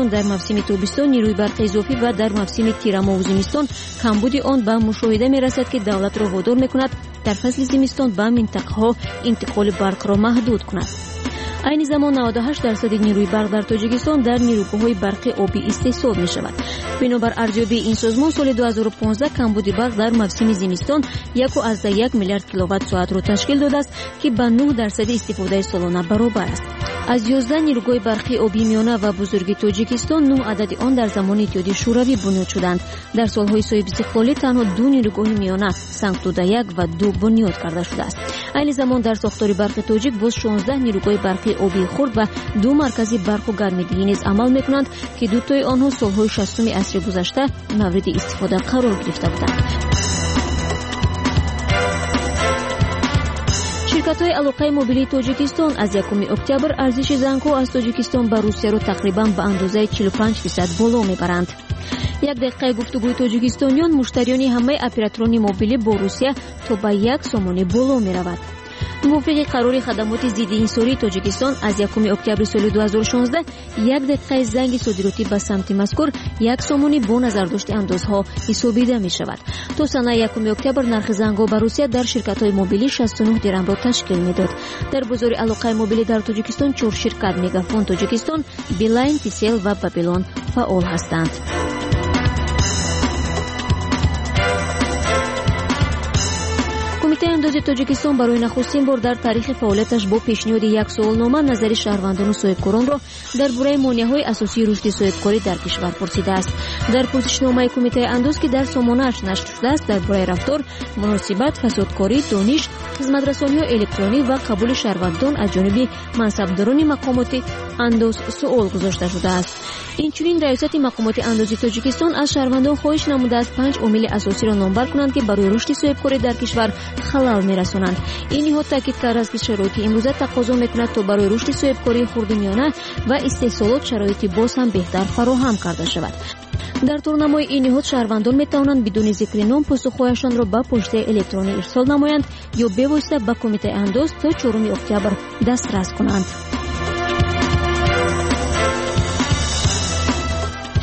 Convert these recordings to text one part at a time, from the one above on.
Тоҷикистон дар мавсими тобистон нерӯи барқи изофӣ ва дар мавсими тирамоҳу зимистон камбуди он ба мушоҳида мерасад, ки давлатро водор мекунад дар фасли зимистон ба минтақаҳо интиқоли барқро маҳдуд кунад. Айни замон 98% нерӯи барқ дар Тоҷикистон дар нерӯгоҳҳои барқи обӣ истеҳсол мешавад. Бинобар арзёбии ин созмон, соли 2015 камбуди барқ дар мавсими зимистон 1,1 миллиард киловатт-соатро ташкил додааст, ки ба 9% истифодаи солона баробар аст. Аз 11 нерӯгоҳи барқи обии миёна ва бузурги Тоҷикистон 9 адади он дар замони Иттиҳоди Шӯравӣ бунёд шуданд. Дар солҳои соҳибистиқлолӣ танҳо 2 нерӯгоҳи миёна Сангтуда 1 ва 2 бунёд карда шудааст. Айни замон дар сохтори барқи тоҷик боз 16 нерӯгоҳи барқи обии хурд ва 2 маркази барқу гармидиҳӣ низ амал мекунанд, ки дутои онҳо солҳои 60-уми асри гузашта мавриди истифода қарор гирифта буданд. Ширкатҳои алоқаи мобилии Тоҷикистон аз 1 октябр арзиши зангҳо аз Тоҷикистон ба Русияро тақрибан ба андозаи 45% боло мебаранд. Як дақиқаи гуфтугӯи тоҷикистониён муштариёни ҳамаи операторони мобилӣ бо Русия то ба 1 сомонӣ боло меравад. Мувофиқи қарори хадамоти зиддиинсории Тоҷикистон аз 1 октябри соли 2016 як дақиқаи занги содиротӣ ба самти мазкур 1 сомонӣ бо назардошти андозҳо ҳисобида мешавад. То санаи 1 октябр нархи зангҳо ба Русия дар ширкатҳои мобилӣ 69 дирамро ташкил медод. Дар бозори алоқаи мобилӣ дар Тоҷикистон 4 ширкат Мегафон Тоҷикистон, Билайн, Тисел ва Бабилон фаъол ҳастанд. Кумитаи андози Тоҷикистон барои нахустин бор дар таърихи фаъолияташ бо пешниҳоди як суолнома назари шаҳрвандону соҳибкоронро дар бораи монеаҳои асосии рушди соҳибкорӣ дар кишвар пурсидааст. Дар пурсишномаи Кумитаи андоз, ки дар сомонааш нашр шудааст, дар бораи рафтор, муносибат, фасодкорӣ, дониш, хизматрасониҳои электронӣ ва қабули шаҳрвандон аз ҷониби мансабдорони мақомоти андоз суол гузошта шудааст. Инчунин раёсати мақомоти андози Тоҷикистон аз шаҳрвандон хоҳиш намудааст 5 омили асосиро номбар кунанд, ки барои рушди соҳибкорӣ дар кишвар халал мерасонанд. Ин ниҳод таъкид кардааст, ки шароити имрӯза тақозо мекунад, то барои рушди соҳибкории хурду миёна ва истеҳсолот шароити боз ҳам беҳтар фароҳам карда шавад. Дар турнамои ин ниҳод шаҳрвандон метавонанд бидуни зикри ном посухҳояшонро ба почтаи электронӣ ирсол намоянд ё бевосита ба Кумитаи андоз то 4 октябр дастрас кунанд.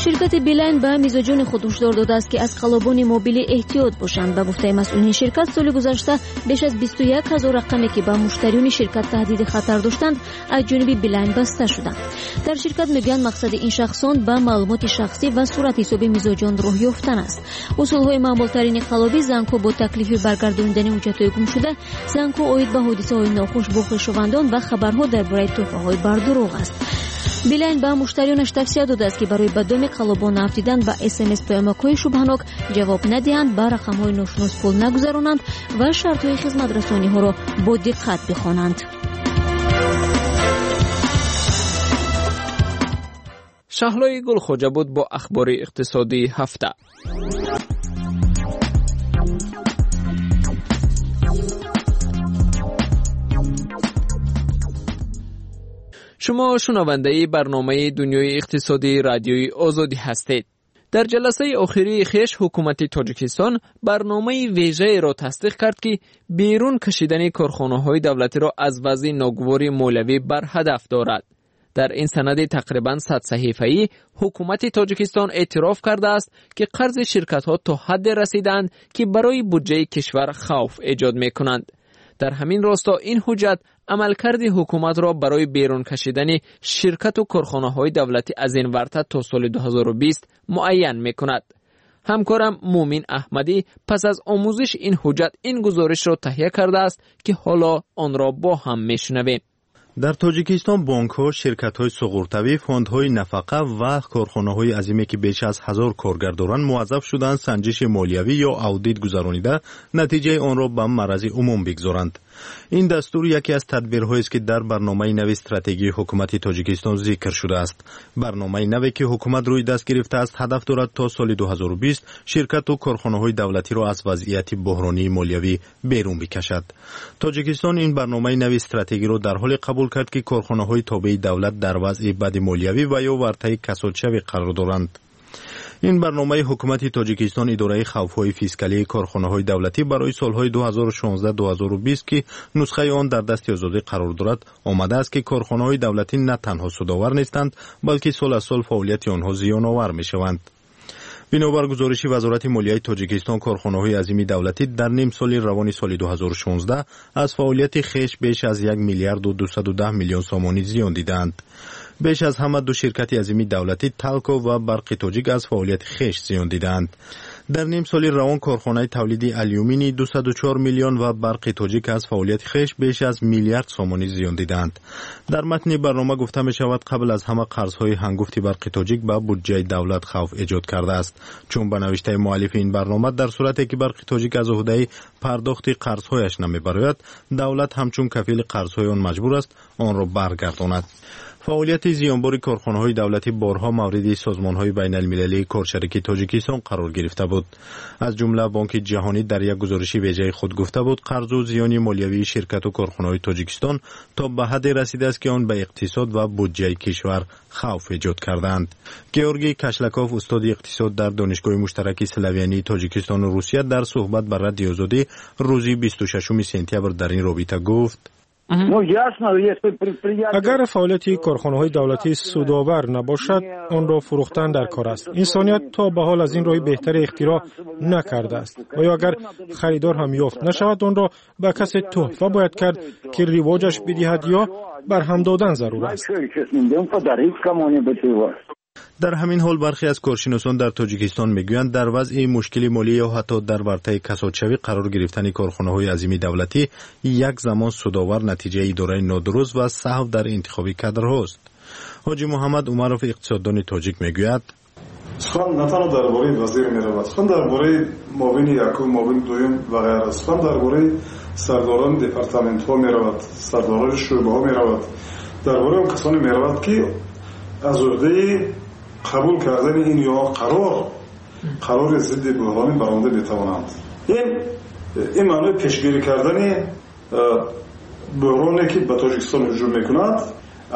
Ширкати Билайн ба мизоҷони худ ҳушдор додааст, ки аз қаллобони мобилӣ эҳтиёт бошанд. Ба гуфтаи масъулини ширкат, соли гузашта беш аз 21 ҳазор рақаме, ки ба муштариёни ширкат таҳдиди хатар доштанд, аз ҷониби Билайн баста шуданд. Дар ширкат мегӯянд, мақсади ин шахсон ба маълумоти шахсӣ ва сурат ҳисоби мизоҷон роҳ ёфтан аст. Усулҳои маъмултарини қаллобӣ зангҳо бо таклифи баргардонидани ҳуҷҷатҳои гумшуда, зангҳо оид ба ҳодисаҳои нохуш бо хешовандон ва хабарҳо дар бораи тӯҳфаҳои бардурӯғ аст. Билайн ба муштариёнаш тавсия додааст, ки барои ба доми қаллобон наафтидан ба смс паёмакҳои шубҳанок ҷавоб надиҳанд, ба рақамҳои ношинос пул нагузаронанд ва шартҳои хизматрасониҳоро бо диққат бихонанд. Шаҳлои Гулхоҷа буд бо ахбори иқтисодии ҳафта. Шумо шунавандаи барномаи дунёи иқтисодии радиои Озодӣ ҳастед. Дар ҷаласаи охирии хеш ҳукумати Тоҷикистон барномаи вежаеро тасдиқ кард, ки берун кашидани корхонаҳои давлатиро аз вазъи ногувори молиявӣ барҳадаф дорад. Дар ин санади тақрибан 100 саҳифаӣ ҳукумати Тоҷикистон эътироф кардааст, ки қарзи ширкатҳо то ҳадде расидаанд, ки барои буҷаи кишвар хавф эҷод мекунанд. Дар ҳамин росто ин ҳуҷҷат амалкарди ҳукуматро барои берун кашидани ширкату корхонаҳои давлатӣ аз ин варта то соли 2020 муайян мекунад. Ҳамкорам Муъмин Аҳмадӣ пас аз омӯзиши ин ҳуҷҷат ин гузоришро таҳия кардааст, ки ҳоло онро бо ҳам мешунавем. Дар Тоҷикистон бонкҳо, ширкатҳои суғуртавӣ, фондҳои нафақа ва корхонаҳои азиме, ки беш аз 1000 коргар доранд, муваззаф шуданд санҷиши молиявӣ ё аудит гузаронида, натиҷаи онро ба маърази умум бигзоранд. Ин дастур яке аз тадбирҳоест, ки дар барномаи нави стратегии ҳукумати Тоҷикистон зикр шудааст. Барномаи наве, ки ҳукумат рӯи даст гирифтааст, ҳадаф дорад то соли 2020 ширкату корхонаҳои давлатиро аз вазъияти буҳронии молиявӣ берун бикашад. Тоҷикистон ин барномаи нави стратегиро дар ҳоле қабул кард, ки корхонаҳои тобеи давлат дар вазъи бади молиявӣ ва ё вартаи касодшавӣ қарор доранд. Ин барномаи ҳукумати Тоҷикистон идораи хавфҳои фискалии корхонаҳои давлатӣ барои солҳои 2016-2020, ки нусхаи он дар дасти Озодӣ қарор дорад, омадааст, ки корхонаҳои давлатӣ на танҳо судовар нестанд, балки сол аз сол фаъолияти онҳо зиёновар мешаванд. Бинобар гузориши Вазорати молияи Тоҷикистон, корхонаҳои азими давлатӣ дар нимсоли равони соли 2016 аз фаъолияти хеш беш аз 1 миллиарду 210 миллион сомонӣ зиён дидаанд. Беш аз ҳама ду ширкати азими давлатӣ, Талко ва Барқи Тоҷик, аз фаъолияти хеш зиён дидаанд. Дар нимсоли равон корхонаи тавлиди алюминий 204 миллион ва Барқи Тоҷик аз фаъолияти хеш беш аз миллиард сомонӣ зиён дидаанд. Дар матни барнома гуфта мешавад, қабл аз ҳама қарзҳои ҳангуфти Барқи Тоҷик ба буҷаи давлат хавф эҷод кардааст. Чун ба навиштаи муаллифи ин барнома, дар сурате ки Барқи Тоҷик аз уҳдаи пардохти қарзҳояш намебарояд, давлат ҳамчун кафили қарзҳои он маҷбур аст онро баргардонад. Фаъолияти зиёнбори корхонаҳои давлатӣ борҳо мавриди созмонҳои байналмилалии коршарики Тоҷикистон қарор гирифта буд. Аз ҷумла Бонки Ҷаҳонӣ дар як гузориши вежаи худ гуфта буд, қарзу зиёни молиявии ширкату корхонаҳои Тоҷикистон то ба ҳадде расидааст, ки он ба иқтисод ва буҷаи кишвар хавф эҷод кардаанд. Георгий Кашлаков, устоди иқтисод дар Донишгоҳи муштараки славянии Тоҷикистону Русия, дар суҳбат ба Радиои Озодӣ рӯзи 26 сентябр дар ин робита гуфт: Агар фаъолияти корхонаҳои давлатӣ судовар набошад, онро фурӯхтан дар кор аст. Инсоният то ба ҳол аз ин роҳи беҳтаре ихтироъ накардааст. Ва ё агар харидор ҳам ёфт нашавад, онро ба касе тӯҳфа бояд кард, ки ривоҷаш бидиҳад, ё барҳам додан зарур аст. Дар ҳамин ҳол бархе аз коршиносон дар Тоҷикистон мегӯянд, дар вазъи мушкили молӣ ё ҳатто дар вартаи касодшавӣ қарор гирифтани корхонаҳои азими давлатӣ як замон судовар натиҷаи идораи нодуруст ва саҳв дар интихоби кадрҳост. Ҳоҷи Муҳаммад Умаров, иқтисоддони тоҷик, мегӯяд: Сухан на танҳо дар бораи вазир меравад, сухан дар бораи муовини якум, муовини дуюм ва ғайра, сухан дар бораи сардорони департаментҳо меравад, сардорони шӯъбаҳо меравад, дар бораи он касоне меравад, ки аз уҳдаи қабул кардани ин ё қарори зидди буҳронӣ баромада метавонанд. Ин маънои пешгирӣ кардани буҳроне, ки ба Тоҷикистон ҳуҷум мекунад,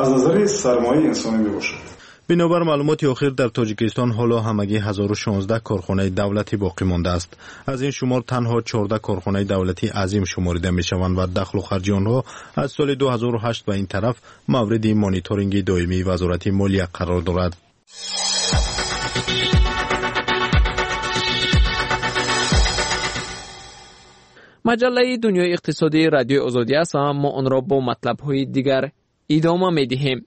аз назари сармояи инсонӣ мебошад. Бинобар маълумоти охир, дар Тоҷикистон ҳоло ҳамагӣ 1016 корхонаи давлатӣ боқӣ мондааст. Аз ин шумор танҳо 14 корхонаи давлатӣ азим шуморида мешаванд ва дахлу харҷи онҳо аз соли 2008 ба ин тараф мавриди мониторинги доимии Вазорати молия қарор дорад. Маҷаллаи Дунёи иқтисодии Радиои Озодӣ аст ва мо онро бо матлабҳои дигар идома медиҳем.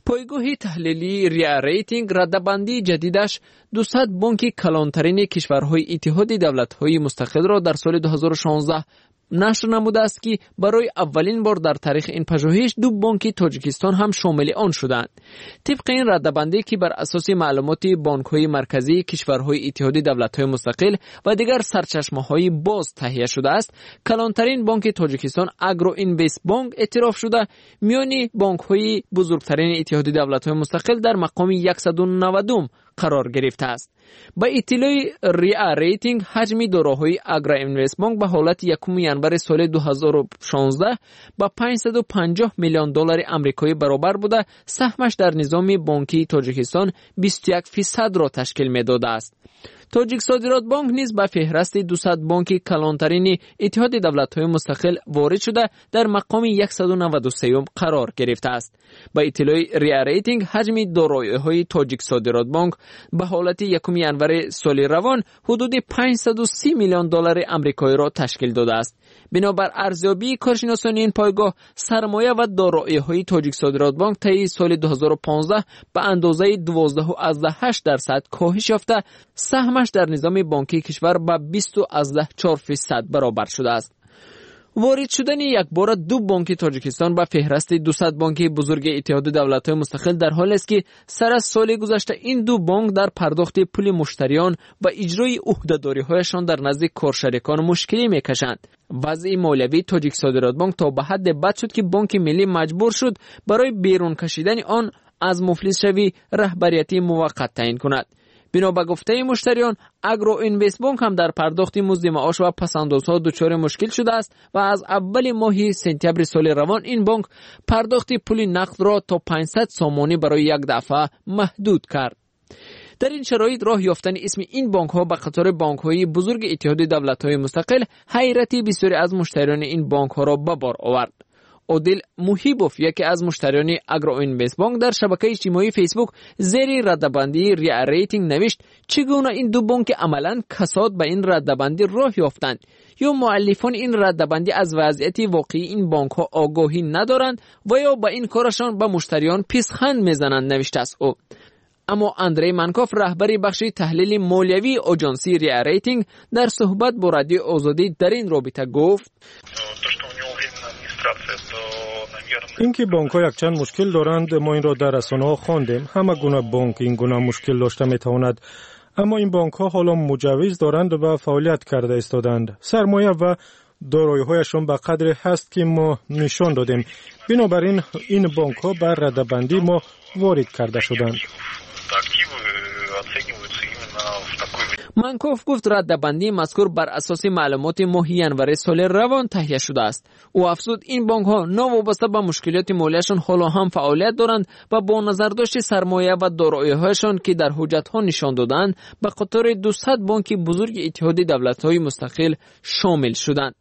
Пойгоҳи таҳлилии Риа Рейтинг раддабандии ҷадидаш 200 бонки калонтарини кишварҳои Иттиҳоди давлатҳои мустақилро дар соли 2016 нашр намудааст, ки барои аввалин бор дар таърихи ин пажӯҳиш ду бонки Тоҷикистон ҳам шомили он шуданд. Тибқи ин раддабандӣ, ки бар асоси маълумоти бонкҳои марказии кишварҳои Иттиҳоди давлатҳои мустақил ва дигар сарчашмаҳои боз таҳия шудааст, калонтарин бонки Тоҷикистон, Агроинвестбонк, эътироф шуда, миёни бонкҳои бузургтарини Иттиҳоди давлатҳои мустақил дар мақоми 190 қарор гирифтааст. Ба иттилои Риа Рейтинг, ҳаҷми дороҳои Агроинвестбонк ба ҳолати 1 январи соли 2016 ба 550 миллион доллари амрикоӣ баробар буда, саҳмаш дар низоми бонкии Тоҷикистон 21 фисадро ташкил медодааст. Тоҷиксодиротбонк низ ба феҳрасти 200 бонки калонтарини Иттиҳоди давлатҳои мустақил ворид шуда, дар мақоми 193 қарор гирифтааст. Ба иттилои Риа Рейтинг, ҳаҷми дороиҳои Тоҷиксодиротбонк ба ҳолати 1 январи соли равон ҳудуди 530 миллион доллари амрикоиро ташкил додааст. Бинобар арзёбии коршиносони ин пойгоҳ, сармоя ва дороиҳои Тоҷиксодиротбонк таи соли 2015 ба андозаи 12,8% коҳиш ёфта, саҳмаш дар низоми бонкии кишвар ба 20,4% баробар шудааст. Ворид шудани якбора ду бонки Тоҷикистон ба феҳрасти 200 бонки бузурги Иттиҳоди давлатҳои мустақил дар ҳолест, ки сар аз соли гузашта ин ду бонк дар пардохти пули муштариён ва иҷрои ӯҳдадориҳояшон дар назди коршарикон мушкилӣ мекашанд. Вазъи молиявии Тоҷиксодиротбонк то ба ҳадде бад шуд, ки Бонки Миллӣ маҷбур шуд барои берун кашидани он аз муфлисшавӣ раҳбарияти муваққат таъин кунад. Бино ба гуфтаи муштариён, Агроинвестбонк ҳам дар пардохти музди маош ва пасандозҳо дучори мушкил шудааст ва аз аввали моҳи сентябри соли равон ин бонк пардохти пули нақдро то 500 сомонӣ барои як дафъа маҳдуд кард. Дар ин шароит роҳ ёфтани исми ин бонкҳо ба қатори бонкҳои бузурги Иттиҳоди давлатҳои мустақил ҳайрати бисёре аз муштариёни ин бонкҳоро ба бор овард. Одил Муҳибов, яке аз муштариёни Агроинвестбонк, дар шабакаи иҷтимоии Фейсбук зери раддабандии РИА Рейтинг навишт: чӣ гуна ин ду бонки амалан касод ба ин раддабандӣ роҳ ёфтанд? Ё муаллифони ин раддабандӣ аз вазъияти воқеии ин бонкҳо огоҳӣ надоранд ва ё ба ин корашон ба муштариён писханд мезананд, навиштааст ӯ. Аммо Андрей Манков, раҳбари бахши таҳлили молиявии оҷонсии РИА Рейтинг, дар суҳбат бо Радиои Озодӣ дар ин робита гуфт: Ин ки бонкҳо якчанд мушкил доранд, мо инро дар расонаҳо хондем. Ҳама гуна бонк ин гуна мушкил дошта метавонад. Аммо ин бонкҳо ҳоло муҷаввиз доранд ва фаъолият карда истоданд. Сармоя ва дороиҳояшон ба қадре ҳаст, ки мо нишон додем. Бинобар ин ин бонкҳо ба раддабандии мо ворид карда шуданд. Манков гуфт, раддабандии мазкур бар асоси маълумоти моҳи январи соли равон таҳия шудааст. Ӯ афзуд, ин бонкҳо новобаста ба мушкилоти молияшон ҳоло ҳам фаъолият доранд ва бо назардошти сармоя ва дороиҳояшон, ки дар ҳуҷҷатҳо нишон додаанд, ба қатори 200 бонки бузурги Иттиҳоди давлатҳои мустақил шомил шуданд.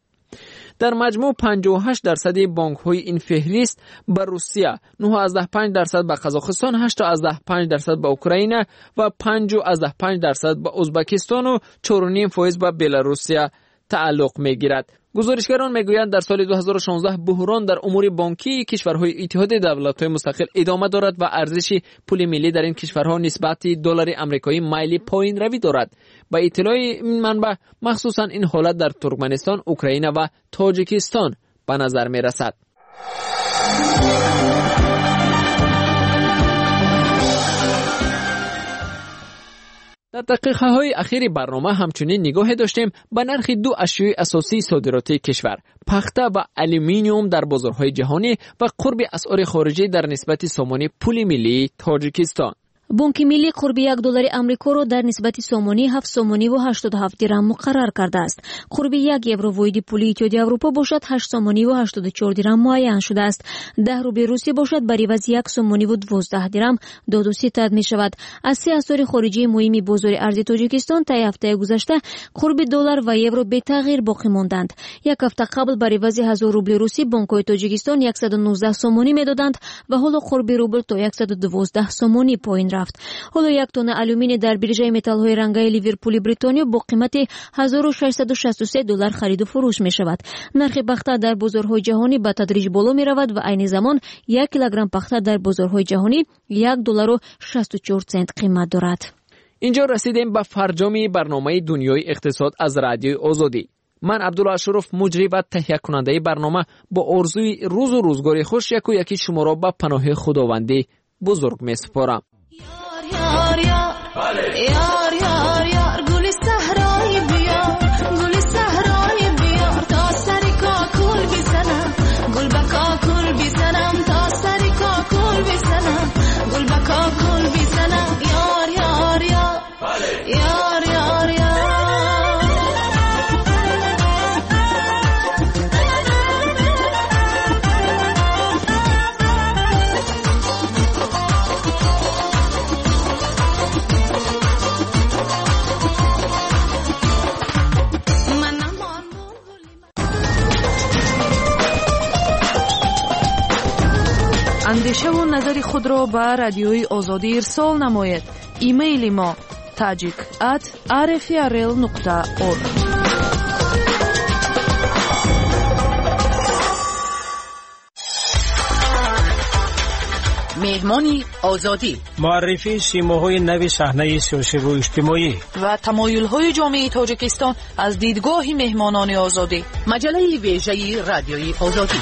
Дар маҷмӯъ 58% бонкҳои ин феҳрист ба Русия, 9,5% ба Қазоқистон, 8,5% ба Украина ва 5,5% ба Ӯзбекистону 4,5% ба Беларусия тааллуқ мегирад. Гузоришгарон мегӯянд, дар соли 2016 буҳрон дар умури бонкии кишварҳои Иттиҳоди давлатҳои мустақил идома дорад ва арзиши пули миллӣ дар ин кишварҳо нисбати доллари амрикоӣ майли поинравӣ дорад. Ба иттилои ин манбаъ, махсусан ин ҳолат дар Туркманистон, Украина ва Тоҷикистон ба назар мерасад. Дар дақиқаҳои ахири барнома ҳамчунин нигоҳе доштем ба нархи ду ашёи асосии содиротии кишвар – пахта ва алюминиум дар бозорҳои ҷаҳонӣ ва қурби асъори хориҷӣ дар нисбати сомонӣ пули миллии Тоҷикистон. Бонки миллӣ қурби 1 доллари амрикоро дар нисбати сомонӣ 7 сомониву 87 дирам муқаррар кардааст. Қурби 1 евро воҳиди пули Иттиҳоди Аврупо бошад 8 сомониву 84 дирам муайян шудааст. 10 рубли русӣ бошад бар ивази 1 сомониву 12 дирам доду ситад мешавад. Аз се асъори хориҷии муҳими бозори арзи Тоҷикистон таи ҳафтаи гузашта қурби доллар ва евро бетағйир боқӣ монданд. Як ҳафта қабл бар ивази 1000 рубли русӣ бонкҳои Тоҷикистон 119 сомонӣ медоданд ва ҳоло қурби рубл то 112 сомонӣ поин рафт. Ҳоло як тонна алюминий дар биржаи металлҳои рангаи Ливерпули Бритониё бо қимати 1663 доллар хариду фурӯш мешавад. Нархи пахта дар бозорҳои ҷаҳонӣ ба тадриҷ боло меравад ва айни замон 1 килограмм пахта дар бозорҳои ҷаҳонӣ 1 доллару 64 цент қимат дорад. Инҷо расидем ба фарҷоми барномаи Дунёи иқтисод аз Радиои Озодӣ. Ман Абдулло Ашуров, муҷрӣ ва таҳиякунандаи барнома, бо орзуи рӯзу рӯзгори хуш яку яки шуморо ба паноҳи Худовандӣ бузург месупорам. Ёр ёр ёр ёр ёр гули саҳрои биёр, гули саҳрои биёр, то сари кокул бизанам, гул ба кокул бизанам, то сари кокул бизанам, гул ба кокул бизанам. Ёр ёр ёр ёр ёр ёр. Андешаву назари худро ба Радиои Озодӣ ирсол намоед. Имейли мо tajik@rfrl.org. Меҳмони Озодӣ, муаррифии симоҳои нави саҳнаи сиёсиву иҷтимоӣ ва тамоюлҳои ҷомеаи Тоҷикистон аз дидгоҳи меҳмонони Озодӣ. Маҷаллаи вежаи Радиои Озодӣ.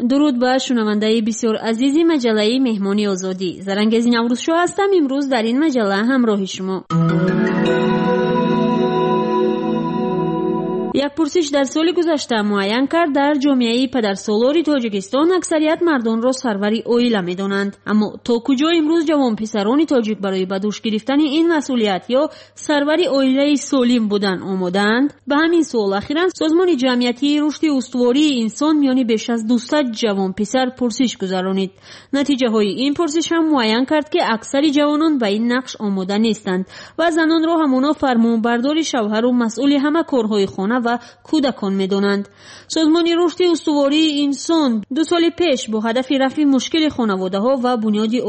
Дуруд ба шунавандаи бисёр азизи маҷаллаи Меҳмони Озодӣ. Зарангези Наврӯзшоҳ ҳастам. Имрӯз дар ин маҷалла ҳамроҳи шумо. Як пурсиш дар соли гузашта муайян кард, дар ҷомеаи падарсолори Тоҷикистон аксарият мардонро сарвари оила медонанд. Аммо то куҷо имрӯз ҷавонписарони тоҷик барои ба дӯш гирифтани ин масъулият ё сарвари оилаи солим будан омодаанд? Ба ҳамин суол ахиран Созмони ҷамъиятии рушди устувории инсон миёни беш аз 200 ҷавонписар пурсиш гузаронид. Натиҷаҳои ин пурсиш ҳам муайян кард, ки аксари ҷавонон ба ин нақш омода нестанд ва занонро ҳамоно фармонбардори шавҳару масъули ҳама корҳои хона ва кӯдакон медонанд. Созмони рушди устувории инсон 2 соли пеш бо ҳадафи рафъи мушкили хонаводаҳо ва бунёди